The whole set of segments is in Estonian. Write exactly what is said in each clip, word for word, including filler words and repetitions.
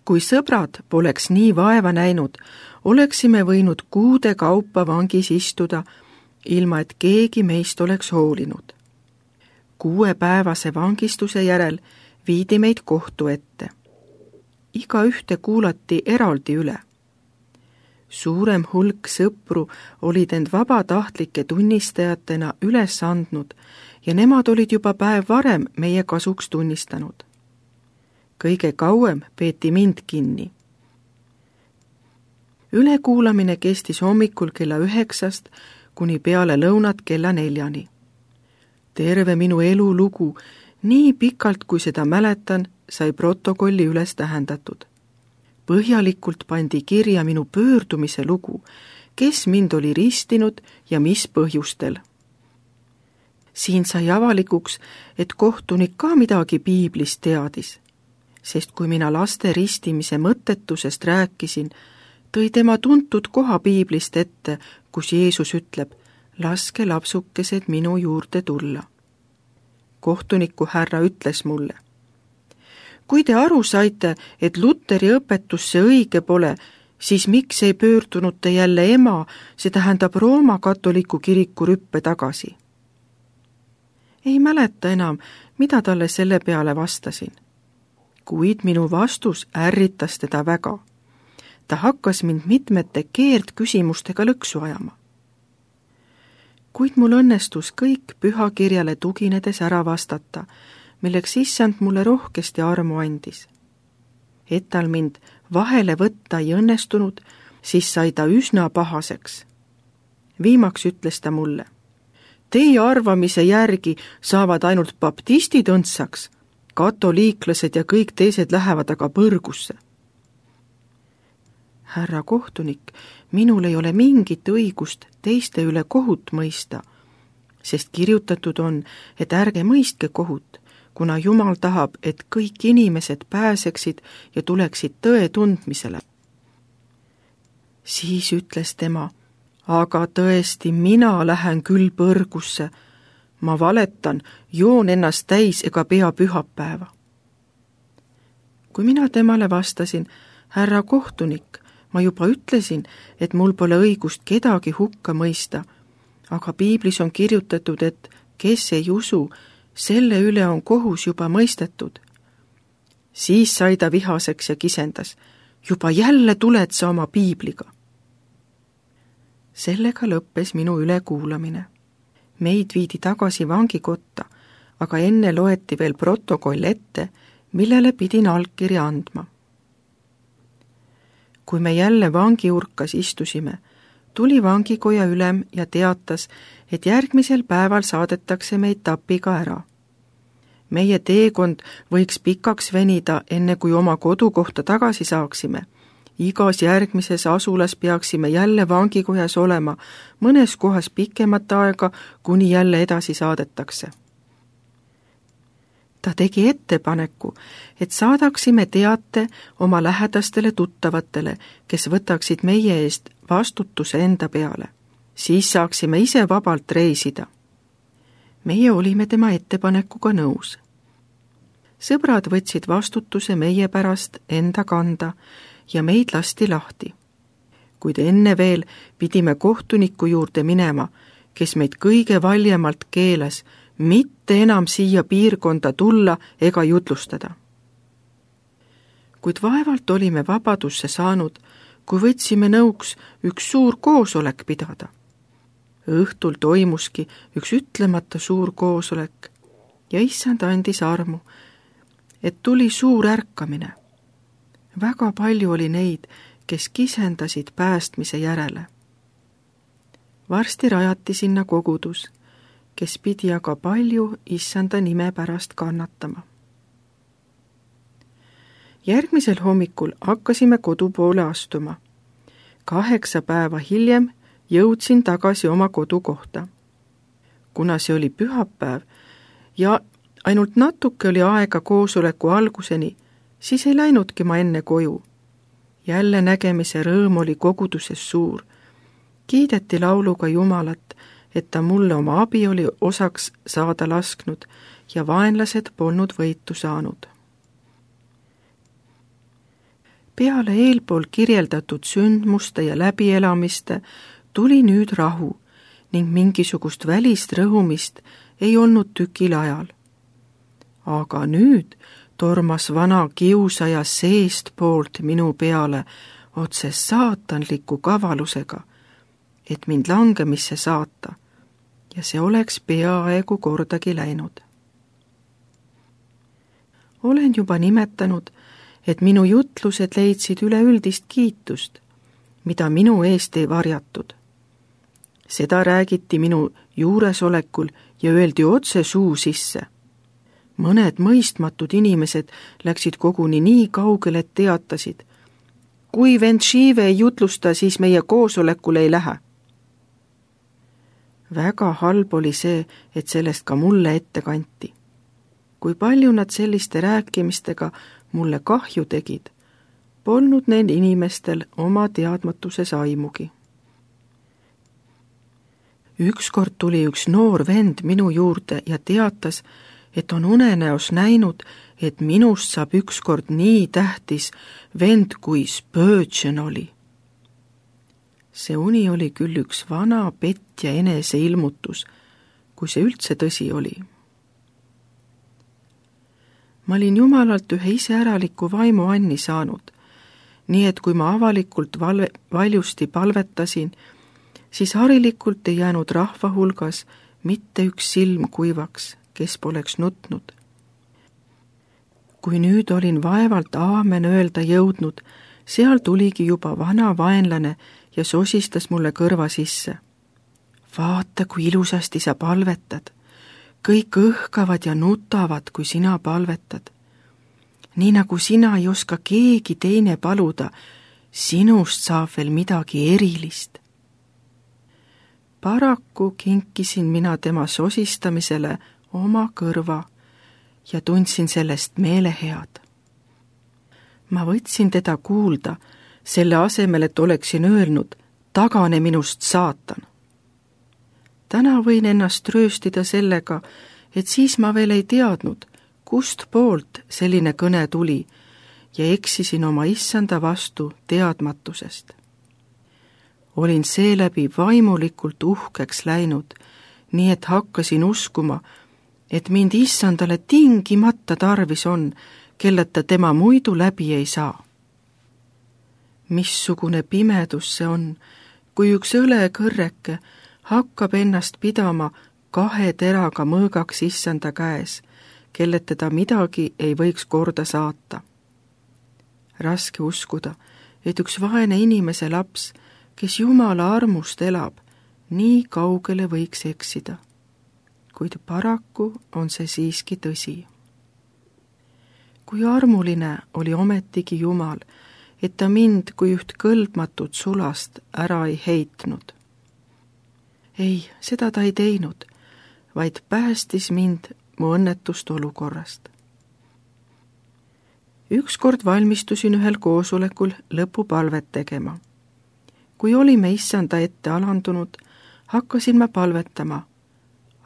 kui sõbrad poleks nii vaeva näinud, oleksime võinud kuude kaupa vangis istuda, ilma et keegi meist oleks hoolinud. Kuuepäevase vangistuse järel viidi meid kohtu ette. Iga ühte kuulati eraldi üle. Suurem hulk sõpru olid end vabatahtlike tunnistajatena üles andnud ja nemad olid juba päev varem meie kasuks tunnistanud. Kõige kauem peeti mind kinni. Ülekuulamine kestis hommikul kella üheksast kuni peale lõunat kella neljani. Terve minu elulugu, nii pikalt kui seda mäletan, sai protokolli üles tähendatud. Põhjalikult pandi kirja minu pöördumise lugu, kes mind oli ristinud ja mis põhjustel. Siin sai avalikuks, et kohtunik ka midagi piiblist teadis, sest kui mina laste ristimise mõttetusest rääkisin, tõi tema tuntud koha piiblist ette, kus Jeesus ütleb, laske lapsukesed minu juurde tulla. Kohtuniku härra ütles mulle, kui te aru saite, et Luteri õpetus see õige pole, siis miks ei pöördunud te jälle ema, see tähendab Rooma katoliku kiriku rüppe tagasi? Ei mäleta enam, mida talle selle peale vastasin. Kuid minu vastus ärritas teda väga. Ta hakkas mind mitmete keerdküsimustega lõksu ajama. Kuid mul õnnestus kõik pühakirjale tuginedes ära vastata, milleks issand mulle rohkesti armu andis. Et tal mind vahele võtta ei õnnestunud, siis sai ta üsna pahaseks. Viimaks ütles ta mulle, teie arvamise järgi saavad ainult baptistid õndsaks, katoliiklased ja kõik teised lähevad aga põrgusse. Härra kohtunik, minul ei ole mingit õigust teiste üle kohut mõista, sest kirjutatud on, et ärge mõistke kohut, kuna Jumal tahab, et kõik inimesed pääseksid ja tuleksid tõe tundmisele. Siis ütles tema, aga tõesti, mina lähen küll põrgusse. Ma valetan, joon ennast täis ega pea pühapäeva. Kui mina temale vastasin, härra kohtunik, ma juba ütlesin, et mul pole õigust kedagi hukka mõista, aga piiblis on kirjutatud, et kes ei usu, selle üle on kohus juba mõistetud. Siis sai ta vihaseks ja kisendas, juba jälle tuled sa oma piibliga. Sellega lõppes minu ülekuulamine. Meid viidi tagasi vangikotta, aga enne loeti veel protokoll ette, millele pidin allkirja andma. Kui me jälle vangiurkas istusime, tuli vangikoja ülem ja teatas, et järgmisel päeval saadetakse meid tapiga ära. Meie teekond võiks pikaks venida, enne kui oma kodukohta tagasi saaksime. Igas järgmises asulas peaksime jälle vangikojas olema, mõnes kohas pikemat aega, kuni jälle edasi saadetakse. Ta tegi ettepaneku, et saadaksime teate oma lähedastele tuttavatele, kes võtaksid meie eest vastutuse enda peale. Siis saaksime ise vabalt reisida. Meie olime tema ettepanekuga nõus. Sõbrad võtsid vastutuse meie pärast enda kanda ja meid lasti lahti. Kuid enne veel pidime kohtuniku juurde minema, kes meid kõige valjemalt keeles, mitte enam siia piirkonda tulla ega jutlustada. Kuid vaevalt olime vabadusse saanud, kui võtsime nõuks üks suur koosolek pidada. Õhtul toimuski üks ütlemata suur koosolek ja issand andis armu, et tuli suur ärkamine. Väga palju oli neid, kes kisendasid päästmise järele. Varsti rajati sinna kogudus, kes pidi aga palju issanda nime pärast kannatama. Järgmisel hommikul hakkasime kodu poole astuma. Kaheksa päeva hiljem jõudsin tagasi oma kodukohta. Kuna see oli pühapäev ja ainult natuke oli aega koosoleku alguseni, siis ei läinudki ma enne koju. Jälle nägemise rõõm oli koguduses suur. Kiideti lauluga Jumalat, et ta mulle oma abi oli osaks saada lasknud ja vaenlased polnud võitu saanud. peale eelpool kirjeldatud sündmuste ja läbielamiste tuli nüüd rahu ning mingisugust välist rõhumist ei olnud tükil ajal. Aga nüüd tormas vana kiusaja seestpoolt minu peale otse saatanliku kavalusega, et mind langemisse saata, ja see oleks peaaegu kordagi läinud. Olen juba nimetanud, et minu jutlused leidsid üleüldist kiitust, mida minu eest ei varjatud. Seda räägiti minu juuresolekul ja öeldi otse suu sisse. Mõned mõistmatud inimesed läksid koguni nii kaugele, et teatasid, kui vend Shive ei jutlusta, siis meie koosolekule ei lähe. Väga halb oli see, et sellest ka mulle ette kanti. Kui palju nad selliste rääkimistega mulle kahju tegid, polnud neil inimestel oma teadmatuses aimugi. Ükskord tuli üks noor vend minu juurde ja teatas, et on unenäos näinud, et minust saab ükskord nii tähtis vend kui Spurgeon oli. See uni oli küll üks vana petja eneseilmutus, kui see üldse tõsi oli. Ma olin Jumalalt ühe iseäraliku vaimu anni saanud, nii et kui ma avalikult valve, valjusti palvetasin, siis harilikult ei jäänud rahva hulgas mitte üks silm kuivaks, kes poleks nutnud. Kui nüüd olin vaevalt aamen öelda jõudnud, seal tuligi juba vana vaenlane ja sosistas mulle kõrva sisse. Vaata, kui ilusasti sa palvetad. Kõik õhkavad ja nutavad, kui sina palvetad. Nii nagu sina ei oska keegi teine paluda, sinust saab veel midagi erilist. Paraku kinkisin mina tema sosistamisele oma kõrva ja tundsin sellest meelehead. Ma võtsin teda kuulda, selle asemel, et oleksin öelnud, tagane minust saatan. Täna võin ennast rööstida sellega, et siis ma veel ei teadnud, kust poolt selline kõne tuli ja eksisin oma issanda vastu teadmatusest. Olin seeläbi vaimulikult uhkeks läinud, nii et hakkasin uskuma, et mind issandale tingimata tarvis on, kelleta tema muidu läbi ei saa. Missugune pimedus see on, kui üks õlekõrreke hakkab ennast pidama kahe teraga mõõgaks issanda käes, kelleta ta midagi ei võiks korda saata. Raske uskuda, et üks vaene inimese laps, kes Jumala armust elab, nii kaugele võiks eksida. Kuid paraku on see siiski tõsi. Kui armuline oli ometigi Jumal, et ta mind kui üht kõlbmatut sulast ära ei heitnud. Ei, seda ta ei teinud, vaid päästis mind mu õnnetust olukorrast. Ükskord valmistusin ühel koosolekul lõpupalvet tegema. Kui olime issanda ette alandunud, hakkasin ma palvetama,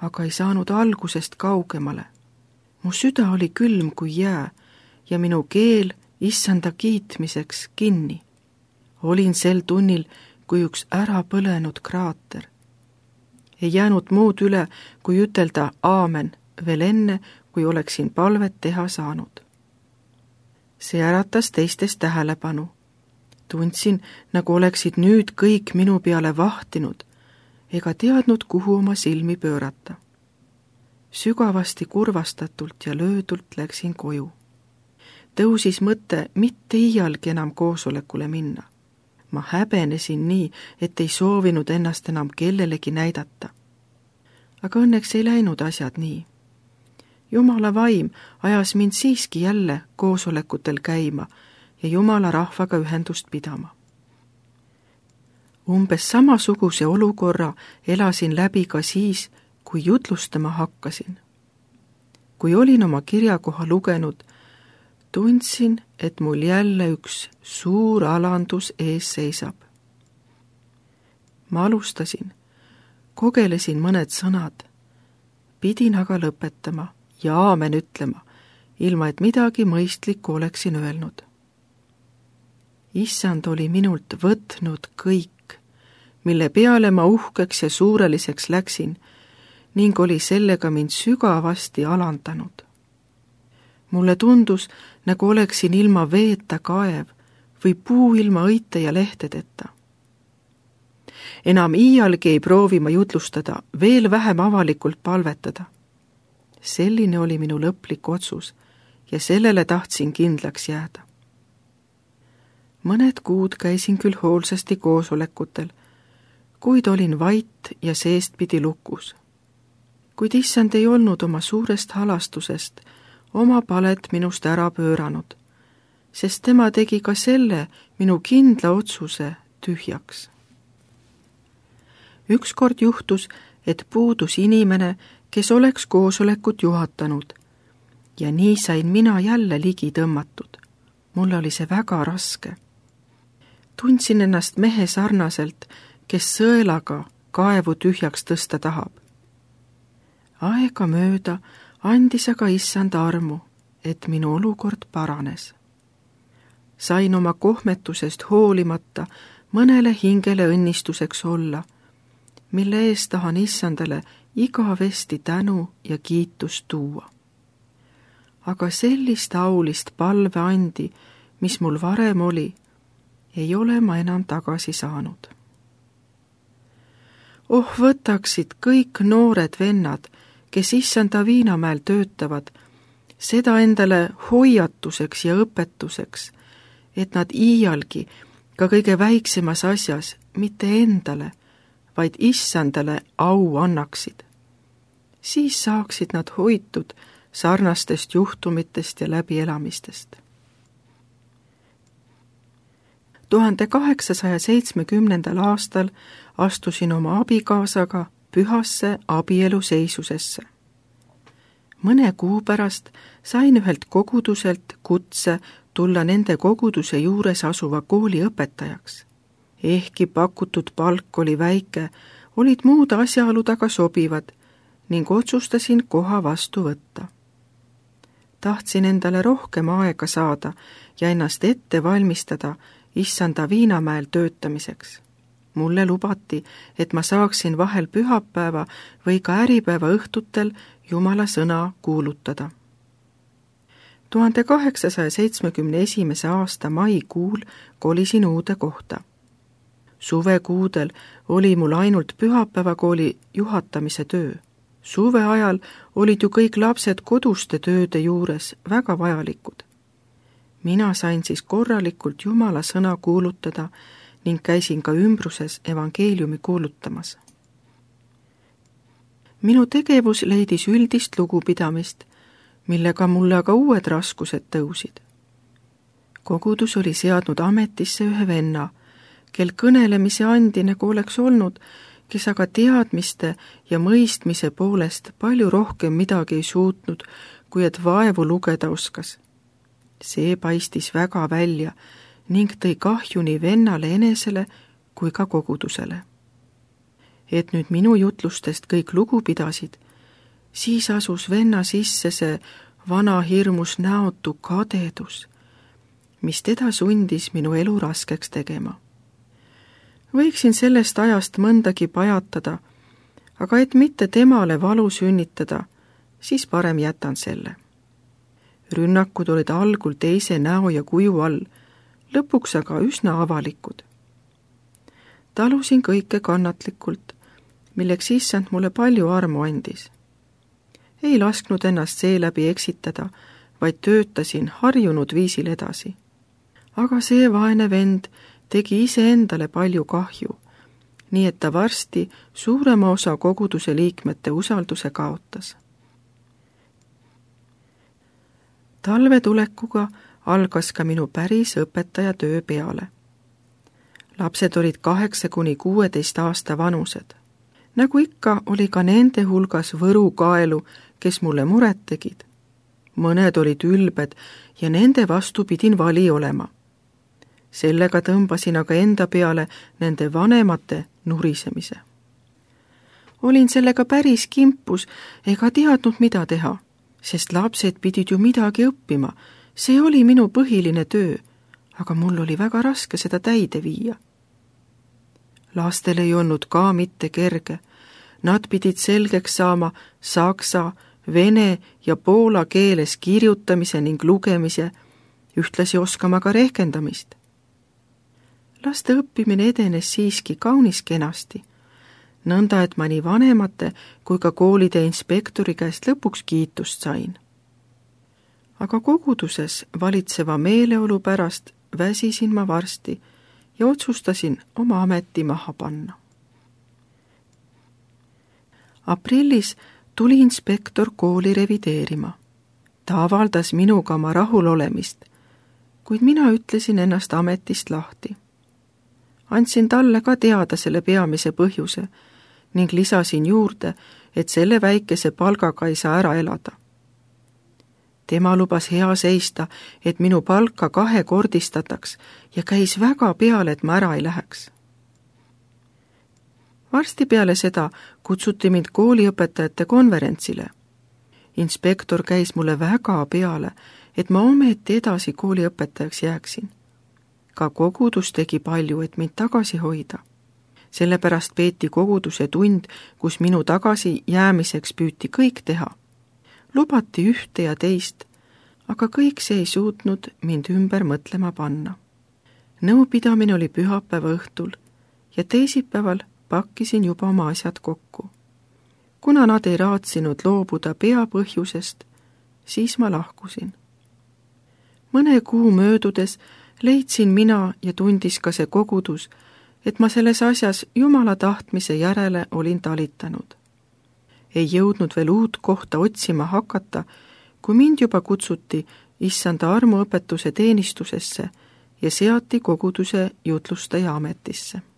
aga ei saanud algusest kaugemale. Mu süda oli külm kui jää ja minu keel issanda kiitmiseks kinni. Olin sel tunnil kui üks ära põlenud kraater. Ei jäänud muud üle, kui ütelda aamen veel enne, kui oleksin palvet teha saanud. See äratas teistes tähelepanu. Tundsin, nagu oleksid nüüd kõik minu peale vahtinud, ega teadnud, kuhu oma silmi pöörata. Sügavasti kurvastatult ja löödult läksin koju. Tõusis mõte mitte iialgi enam koosolekule minna. Ma häbenesin nii, et ei soovinud ennast enam kellelegi näidata. Aga õnneks ei läinud asjad nii. Jumala vaim ajas mind siiski jälle koosolekutel käima ja Jumala rahvaga ühendust pidama. Umbes samasuguse olukorra elasin läbi ka siis, kui jutlustama hakkasin. Kui olin oma kirjakoha lugenud, tundsin, et mul jälle üks suur alandus ees seisab. Ma alustasin, kogelesin mõned sõnad, pidin aga lõpetama ja aamen ütlema, ilma et midagi mõistlikku oleksin öelnud. Issand oli minult võtnud kõik, mille peale ma uhkeks ja suureliseks läksin ning oli sellega mind sügavasti alandanud. Mulle tundus, nagu oleksin ilma veeta kaev või puu ilma õite ja lehtedeta. Enam iialgi ei proovi ma jutlustada, veel vähem avalikult palvetada. Selline oli minu lõplik otsus ja sellele tahtsin kindlaks jääda. Mõned kuud käisin küll hoolsasti koosolekutel, kuid olin vait ja seestpidi lukus. Kuid issand ei olnud oma suurest halastusest oma palet minust ära pööranud, sest tema tegi ka selle minu kindla otsuse tühjaks. Ükskord juhtus, et puudus inimene, kes oleks koosolekut juhatanud ja nii sain mina jälle ligi tõmmatud. Mulle oli see väga raske. Tundsin ennast mehe sarnaselt, kes sõelaga kaevu tühjaks tõsta tahab. Aega mööda andis aga issand armu, et minu olukord paranes. Sain oma kohmetusest hoolimata mõnele hingele õnnistuseks olla, mille eest tahan issandale igavesti tänu ja kiitust tuua. Aga sellist aulist palveandi, mis mul varem oli, ei ole ma enam tagasi saanud. Oh, võtaksid kõik noored vennad, kes issanda Viinamäel töötavad, seda endale hoiatuseks ja õpetuseks, et nad iialgi ka kõige väiksemas asjas mitte endale, vaid issandale au annaksid. Siis saaksid nad hoitud sarnastest juhtumitest ja läbielamistest. tuhande kaheksasaja seitsmekümnendal aastal astusin oma abikaasaga pühasse abieluseisusesse. Mõne kuu pärast sain ühelt koguduselt kutse tulla nende koguduse juures asuva kooli õpetajaks. Ehkki pakutud palk oli väike, olid muud asjaolud aga sobivad ning otsustasin koha vastu võtta. Tahtsin endale rohkem aega saada ja ennast ette valmistada issanda Viinamäel töötamiseks. Mulle lubati, et ma saaksin vahel pühapäeva või ka äripäeva õhtutel Jumala sõna kuulutada. tuhande kaheksasaja seitsmekümne esimese aasta maikuul kolisin uude kohta. Suvekuudel oli mul ainult pühapäevakooli juhatamise töö. Suve ajal olid ju kõik lapsed koduste tööde juures väga vajalikud. Mina sain siis korralikult Jumala sõna kuulutada ning käisin ka ümbruses evangeeliumi kuulutamas. Minu tegevus leidis üldist lugupidamist, millega mulle aga uued raskused tõusid. Kogudus oli seadnud ametisse ühe venna, kel kõnelemise andi nagu oleks olnud, kes aga teadmiste ja mõistmise poolest palju rohkem midagi ei suutnud, kui et vaevu lugeda oskas. See paistis väga välja ning tõi kahju nii vennale enesele kui ka kogudusele. Et nüüd minu jutlustest kõik lugu pidasid, siis asus venna sisse see vana hirmus näotu kadedus, mis teda sundis minu elu raskeks tegema. Võiksin sellest ajast mõndagi pajatada, aga et mitte temale valu sünnitada, siis parem jätan selle. Rünnakud olid algul teise näo ja kuju all, lõpuks aga üsna avalikud. Talusin kõike kannatlikult, milleks issand mulle palju armu andis. Ei lasknud ennast seeläbi eksitada, vaid töötasin harjunud viisil edasi. Aga see vaene vend tegi iseendale palju kahju, nii et ta varsti suurema osa koguduse liikmete usalduse kaotas. Talve tulekuga algas ka minu päris õpetaja töö peale. Lapsed olid kaheksa kuni kuueteist aasta vanused. Nagu ikka oli ka nende hulgas Võru kaelu, kes mulle muret tegid. Mõned olid ülbed ja nende vastu pidin vali olema. Sellega tõmbasin aga enda peale nende vanemate nurisemise. Olin sellega päris kimpus ega teadnud, mida teha, sest lapsed pidid ju midagi õppima. See oli minu põhiline töö, aga mul oli väga raske seda täide viia. Lastel ei olnud ka mitte kerge. Nad pidid selgeks saama saksa, vene ja poola keeles kirjutamise ning lugemise, ühtlasi oskama ka rehkendamist. Laste õppimine edenes siiski kaunis kenasti, nõnda et ma nii vanemate kui ka koolide inspektori käest lõpuks kiitust sain. Aga koguduses valitseva meeleolu pärast väsisin ma varsti ja otsustasin oma ameti maha panna. Aprillis tuli inspektor kooli revideerima. Ta avaldas minuga oma rahulolemist, kuid mina ütlesin ennast ametist lahti. Andsin talle ka teada selle peamise põhjuse ning lisasin juurde, et selle väikese palgaga ei saa ära elada. Tema lubas hea seista, et minu palka kahekordistataks ja käis väga peale, et ma ära ei läheks. Varsti peale seda kutsuti mind kooliõpetajate konverentsile. Inspektor käis mulle väga peale, et ma ometi edasi kooliõpetajaks jääksin. Ka kogudus tegi palju, et mind tagasi hoida. Sellepärast peeti koguduse tund, kus minu tagasi jäämiseks püüti kõik teha. Lubati ühte ja teist, aga kõik see ei suutnud mind ümber mõtlema panna. Nõupidamine oli pühapäeva õhtul ja teisipäeval pakkisin juba oma asjad kokku. Kuna nad ei raatsinud loobuda peapõhjusest, siis ma lahkusin. Mõne kuu möödudes leidsin mina ja tundis ka see kogudus, et ma selles asjas Jumala tahtmise järele olin talitanud. Ei jõudnud veel uut kohta otsima hakata, kui mind juba kutsuti issanda armuõpetuse teenistusesse ja seati koguduse jutlustaja ametisse.